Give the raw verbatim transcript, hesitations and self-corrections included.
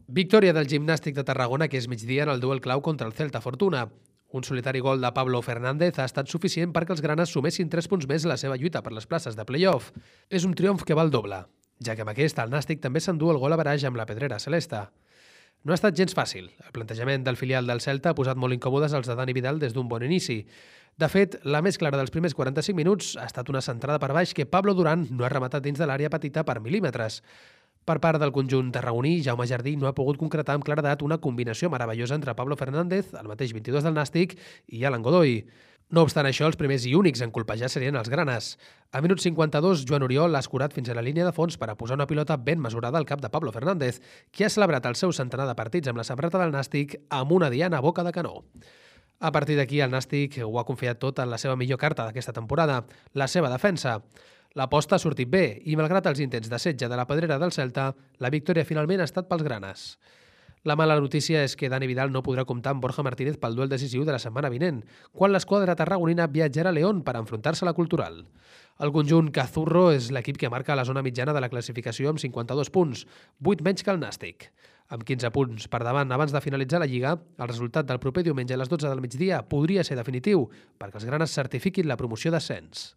Victòria del Gimnàstic de Tarragona que és migdia en el duel clau contra el Celta Fortuna. Un solitari gol de Pablo Fernández ha estat suficient perquè els granes sumessin tres punts més a la seva lluita per les places de play-off. És un triomf que val doble, ja que amb aquest el Nàstic també s'endú el gol a baraix amb la pedrera celeste. No ha estat gens fàcil. El plantejament del filial del Celta ha posat molt incòmodes els de Dani Vidal des d'un bon inici. De fet, la més clara dels primers quaranta-cinc minuts ha estat una centrada per baix que Pablo Durán no ha rematat dins de l'àrea petita per mil·límetres. Per part del conjunt tarragoní, Jaume Jardí no ha pogut concretar amb claredat una combinació meravellosa entre Pablo Fernández, el mateix vint-i-dos del Nàstic, i Alan Godoy. No obstant això, els primers i únics en colpejar serien els granes. A minut cinquanta-dos, Joan Oriol ha escurat fins a la línia de fons per a posar una pilota ben mesurada al cap de Pablo Fernández, que ha celebrat el seu centenar de partits amb la samarreta del Nàstic amb una diana a boca de canó. A partir d'aquí, el Nàstic ho ha confiat tot en la seva millor carta d'aquesta temporada, la seva defensa. L'aposta ha sortit bé i, malgrat els intents de setge de la pedrera del Celta, la victòria finalment ha estat pels granes. La mala notícia és que Dani Vidal no podrà comptar amb Borja Martínez pel duel decisiu de la setmana vinent, quan l'esquadra tarragonina viatjarà a León per enfrontar-se a la Cultural. El conjunt Cazurro és l'equip que marca la zona mitjana de la classificació amb cinquanta-dos punts, vuit menys que el Nàstic. Amb quinze punts per davant abans de finalitzar la Lliga, el resultat del proper diumenge a les dotze del migdia podria ser definitiu perquè els granes certifiquin la promoció d'ascens.